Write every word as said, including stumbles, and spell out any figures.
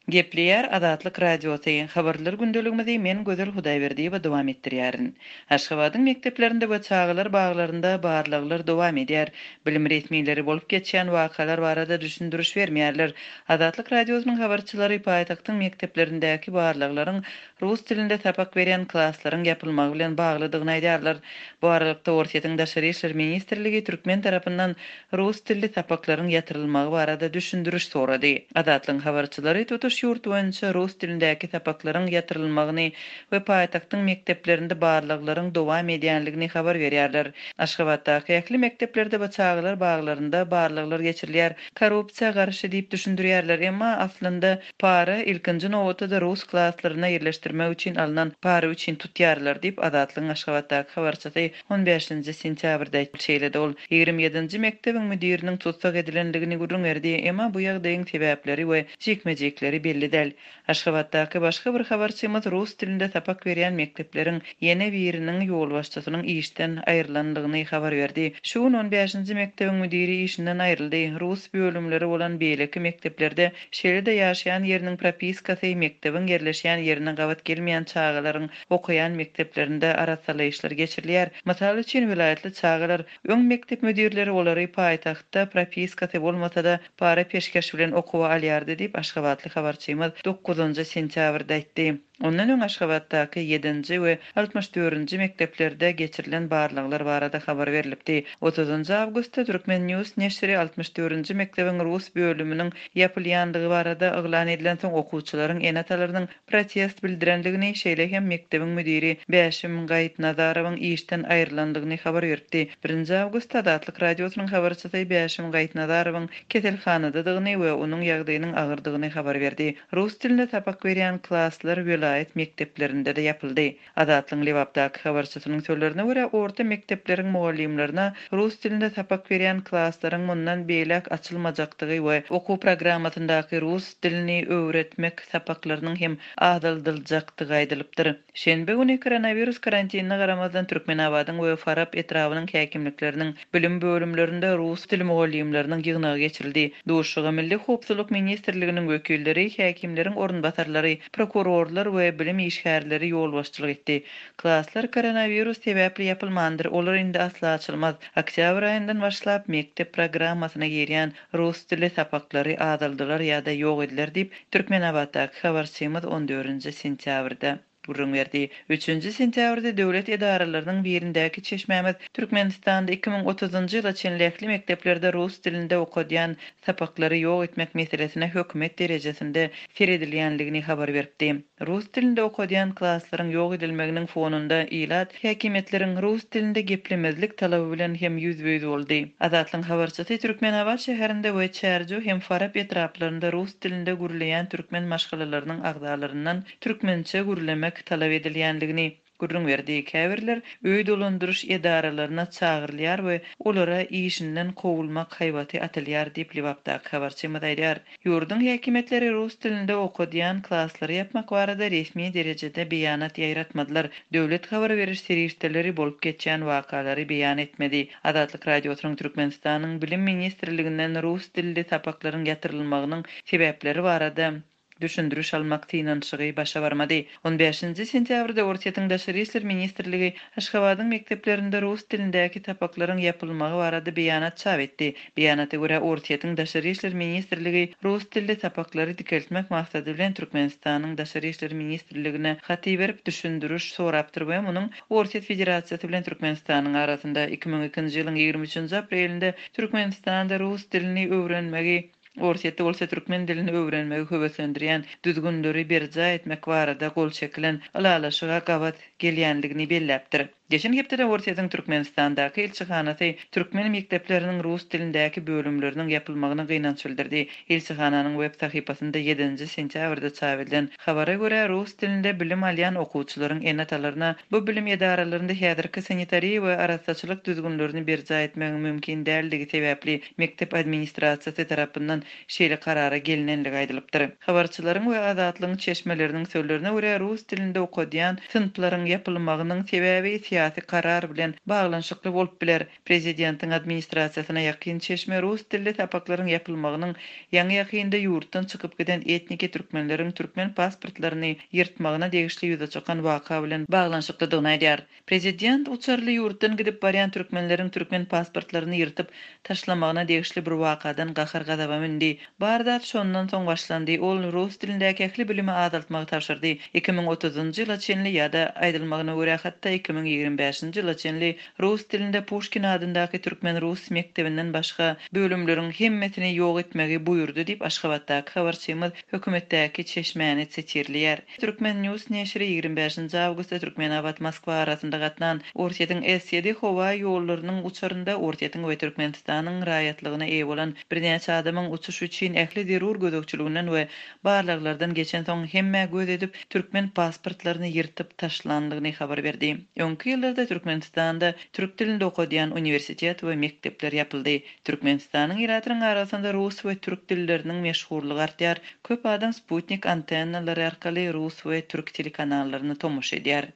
Gepleýär Azatlyk Radiosy, Habarlar gündeligimizi men Gözel Hudaýberdiýewa dowam etdirýärin. Aşgabadyň mekdeplerinde we çagalar baglarynda barlaglar dowam edýär. Bilim resmileri bolup geçýän wakalar barada düşündiriş bermeýärler. Azatlyk Radiosynyň habarçylary paýtagtyň mekdeplerindäki barlaglaryň rus dilinde sapak berýän klaslaryň ýapylmagy bilen baglydygyny aýdýarlar. Bu aralykda Orsýetiň Daşary işler ministrligi türkmen tarapyndan rus dilli sapaklaryň ýatyrylmagy barada düşündiriş sorady. Azatlygyň habarçylary tutuş ýurt boýunça rus dilindäki sapaklaryň ýatyrylmagyny we paýtagtyň mekdeplerinde barlaglaryň dowam edýänligini habar berýärler. Aşgabatdaky ähli mekdeplerde we çagalar baglarynda barlaglar geçirilýär. Korrupsiýa garşy diýip düşündirýärler, emma aslynda para ilkinji nobatda rus klaslaryna ýerleşdirmek üçin alnan para üçin tutýarlar diýip Azatlygyň Aşgabatdaky habarçysy on bäşinji sentýabrda şeýle-de ol ýigrimi ýedinji mekdebiň müdiriniň tussag edilendigini gürrüň berdi, emma bu ýagdaýyň sebäpleri we jikme-jikleri belli däl. Aşgabatdaky başga bir habarçymyz rus dilinde sapak berýän mekdepleriň ýene biriniň ýolbaşçysynyň işden aýrylandygyny habar berdi. Şu gün on bäşinji mekdebiň müdiri işinden aýryldy. Rus bölümleri bolan beýleki mekdeplerde şeýle-de ýaşaýan ýeriniň propiskasy mekdebiň ýerleşýän ýerine gabat gelmeýän çagalaryň okaýan mekdeplerinde arassalaýyşlar geçirilýär. Mysal üçin welaýatly çagalar öň mekdep müdirleri olary paýtagtda propiskasy bolmasa-da para peşgeş bilen okuwa alýardy diýip Aşgabatly habarçymyz dokuzynjy sentýabrda aýtdy. Ondan öň Aşgabatdaky ýedinji we altmyş dördünji mekdeplerde geçirilen barlaglar barada habar berilipdi. Otuzynjy awgustda Türkmen News neşiri altmyş dördünji mekdebiň rus bölüminiň ýapylýandygy barada yglan edilen soň okuwçylaryň ene-atalarynyň protest bildirendigini, şeýle hem mekdebiň müdiri Bäşim Gaýypnazarowyň işden aýrylandygyny habar beripdi. Birinji awgustda Azatlyk Radiosynyň habarçysy Bäşim Gaýypnazarowyň keselhanadadygyny we onuň ýagdaýynyň agyrdygyny habar berdi. Rus dilinde sapak berýän klaslar welaýat mekdeplerinde-de ýapyldy. Azatlygyň Lebapdaky habarçysynyň sözlerine görä, orta mekdepleriň mugallymlaryna rus dilinde sapak berýän klaslaryň mundan beýläk açylmajakdygy we okuw programmasyndaky rus dilini öwretmek sapaklarynyň hem azaldyljakdygy aýdylypdyr. Şenbe güni koronawirus karantinine garamazdan Türkmenabadyň we Farap etrabynyň häkimlikleriniň bilim bölümlerinde rus dili mugallymlarynyň ýygnagy geçirildi. Duşuşyga Milli Howpsuzlyk Ministrliginiň wekilleri, häkimleriň orunbasarlary, prokurorlar we bilim işgärleri ýolbaşçylyk etdi. Klaslar koronawirus sebäpli ýapylmandyr, olar indi asla açylmaz. Oktýabr aýyndan başlap mekdep programmasyna girýän rus dili sapaklary azaldylar ýa-da ýok ediler diýip Türkmenabatdaky habarçymyz on dördünji sentýabrda gürrüň berdi. Üçünji sentýabrda döwlet edaralarynyň birindäki çeşmämiz Türkmenistanda iki müň otuzynjy ýyla çenli ähli mekdeplerde rus dilinde okadýan sapaklary ýok etmek meselesine hökümet derejesinde seredilýänligini habar beripdi. Rus dilinde okadýan klaslaryň ýok edilmeginiň fonunda ilat häkimiýetleriň rus dilinde geplemezlik talaby bilen hem ýüzbe-ýüz boldy. Azatlygyň habarçysy Türkmenabat şäherinde we Çärjew hem Farap etraplarynda rus dilinde gürleýän türkmen maşgalalarynyň agzalaryndan türkmençe gürlemek talap edilýänligini gürrüň berdi. Käbirler öý dolandyryş edaralaryna çagyrylýar we olara işinden kowulmak haýbaty atylýar diýip Lebapdaky habarçymyz aýdýar. Ýurduň häkimiýetleri rus dilinde okadýan klaslary ýapmak barada resmi derejede beýanat ýaýratmadylar. Döwlet habar beriş serişdeleri bolup geçýän wakalary beýan etmedi. Azatlyk Radiosynyň Türkmenistanyň Bilim Ministrliginden rus dilli sapaklaryň ýatyrylmagynyň sebäpleri barada düşündiriş almak synanyşygy başa barmady. on bäşinji sentýabrda Orsýetiň Daşary işler ministrligi Aşgabadyň mekdeplerinde rus dilindäki sapaklaryň ýapylmagy barada beýanat çap etdi. Beýanata görä Orsýetiň Daşary işler ministrligi rus dilli sapaklary dikeltmek maksady bilen Türkmenistanyň Daşary işler ministrligine hat berip düşündiriş sorapdyr we munuň Orsýet Federasiýasy bilen Türkmenistanyň arasynda iki müň ikinji ýylyň ýigrimi üçünji aprelinde Türkmenistanda rus dilini öwrenmegi Orsýetde bolsa türkmen dilini öwrenmegi höweslendirýän düzgünleri berjaý etmek barada gol çekilen ylalaşyga gabat gelýänligini belläpdir. Geçen hepdede Orsýetiň Türkmenistandaky ilçihanasy türkmen mekdepleriniň rus dilindäki bölümleriniň ýapylmagyna gynanç bildirdi. Ilçihananyň web sahypasynda ýedinji sentýabrda çap edilen habara görä rus dilinde bilim alýan okuwçylaryň ene-atalaryna bu bilim edaralarynda häzirki sanitariýa we arassaçylyk düzgünlerini berjaý etmegiň mümkin däldigi sebäpli mekdep administrasiýasy tarapyndan şeýle karara gelinenligi aýdylypdyr. Habarçylaryň we Azatlygyň çeşmeleriniň sözlerine görä rus dilinde okadýan synplaryň ýapylmagynyň sebäbi syýasy karar bilen baglanyşykly bolup biler. Prezidentiň administrasiýasyna ýakyn çeşme rus dilli sapaklaryň ýapylmagynyň ýaňy-ýakynda ýurtdan çykyp giden etniki türkmenleriň türkmen pasportlaryny ýyrtmagyna degişli ýüze çykan waka bilen baglanyşyklydygyny aýdýar. Prezident uçarly ýurtdan gidip barýan türkmenleriň türkmen pasportlaryny ýyrtyp taşlamagyna degişli bir wakadan gahar-gazaba mündi. Bar zat şondan soň başlandy. Ol rus dilindäki ähli bilimi azaltmagy tabşyrdy. Iki müň otuzynjy ýyla çenli ýa-da aýdylmagyna görä hatda iki müň ýigrimi bäşinji ýyla çenli rus dilinde Puşkin adyndaky türkmen-rus mekdebinden başga bölümleriň hemmesini ýok etmegi buýurdy diýip, Aşgabatdaky habarçymyz hökümetdäki çeşmäni sitirleýär. Turkmen News neşiri ýigrimi bäşinji awgustda Türkmenabat-Moskwa arasynda gatnan Orsýetiň S ýedi howa ýollarynyň uçarynda Orsýetiň we Türkmenistanyň raýatlygyna eýe bolan birnäçe adamyň uçuş üçin ähli zerur gözegçiliginden we barlaglardan geçensoň hemmä göz edip türkmen pasportlaryny ýyrtyp taşlandygyny habar berdi. Öňki ýyllarda Türkmenistanda türk dilinde okadýan uniwersitet we mekdepler ýapyldy. Türkmenistanyň ilatynyň arasynda rus we türk dilleriniň meşhurlygy artýar. Köp adam Sputnik antennalary arkaly rus we türk telekanallaryny tomaşa edýär.